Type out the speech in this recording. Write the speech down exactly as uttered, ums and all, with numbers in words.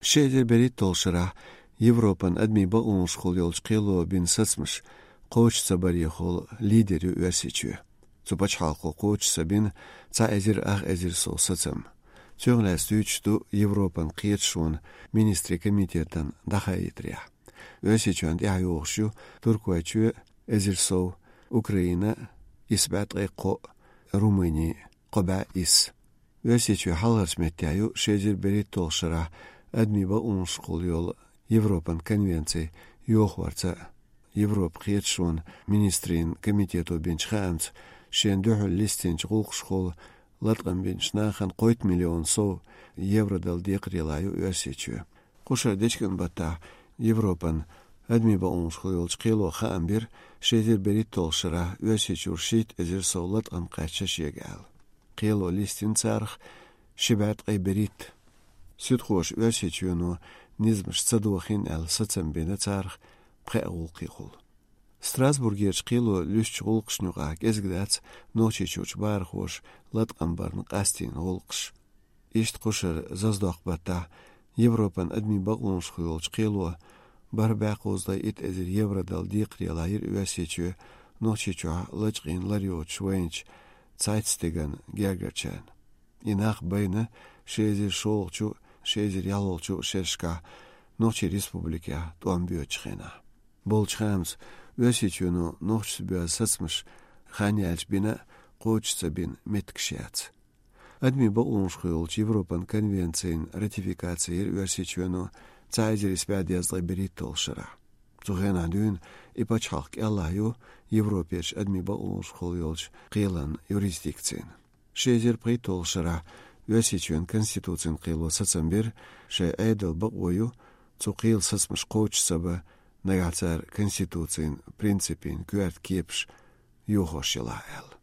Ши эзар берхӀитталгӀача шарахь Европан адамийн бакъонашкахула йолчу кхело бина сацамаш кхочуш ца барехула лидер ю Оьрсийчоь. Цу пачхьалкхо кхочуш ца бина цхьа эзар ах эзар сов сацам. Цунах лаьцна дуьйцуш ду Европан кхеташонан министрийн комитетан дӀахаийтарехь. Оьрсийчоьнна тӀаьхьа йогӀуш ю Туркойчоь, эзар сов, Украина, исс бӀе ткъе кхоъ, Румыни, кхо бӀе исс. Оьрсийчоь хьалхарчу меттехь ю ши эзар берхӀитталгӀачу шарахь адамийн бакъонашкахула йолу Европан конвенци йохорца. Европан кхеташонан министрийн комитето бинчу хаамца, шена дуьхьал листинчу гӀуллакхашкахула латкъам бинчу нахана кхойтта миллион сов евро дала декхарийлахь ю Оьрсийчоь. Кху шаран дечкен баттахь Европан адамийн бакъонашкахула йолчу кхело хаам бира, ши эзар берхӀитталгӀачу шарахь Оьрсийчуьра шийтта эзар сов латкъам кхаьчна шега аьлла. Кхело листина царах ши бӀе ткъе берхӀитта. Суьдхоша Оьрсийчоьно низамаш ца дохийна аьлла сацам бина царах пхеа гӀуллакхехула. Страсбургерчу кхело луьстучу гӀуллакхашна юкъахь кӀезиг дац Нохчийчуьрчу бахархоша латкъам барна къастийна гӀуллакхаш. Иштта кху шаран заздоккху баттахь Европан адамийн бакъонашкахула йолчу кхело бархӀ бӀе кхузткъе итт эзар евро дала декхарийлахь йира Оьрсийчоь Нохчийчохь лачкъийна лар йоцуш вайначу цхьайтта стеган гергарчарна. И нах байна ши эзар шолгӀачу, ши эзар ялхолгӀачу шерашкахь Нохчийн республикехь тӀом боьдучу хенахь. Болчу хаамца, Оьрсийчоьно нохчашца боьзна сацамаш хан яьлча бина а, кхочуш ца бина меттигаш яц. Адамийн бакъонашкахула йолчу Европан конвенцин ратификаци йира Оьрсийчоьно цхьа эзар исс бӀе дезткъе берхӀитталгӀачу шарахь. Цу хенахь дуьйна и пачхьалкх кӀелахь ю Европерчу адамийн бакъонашкахула йолчу кхелан юрисдикцина. Ши эзар пхийтталгӀачу шарахь Оьрсийчоьнан конституцин кхело сацам бира, шайн Ӏедалан бакъо ю цу кхелан сацамаш кхочуш ца бан, нагахь цара конституцин принципийн коьрта кепаш йохош елахь аьлла.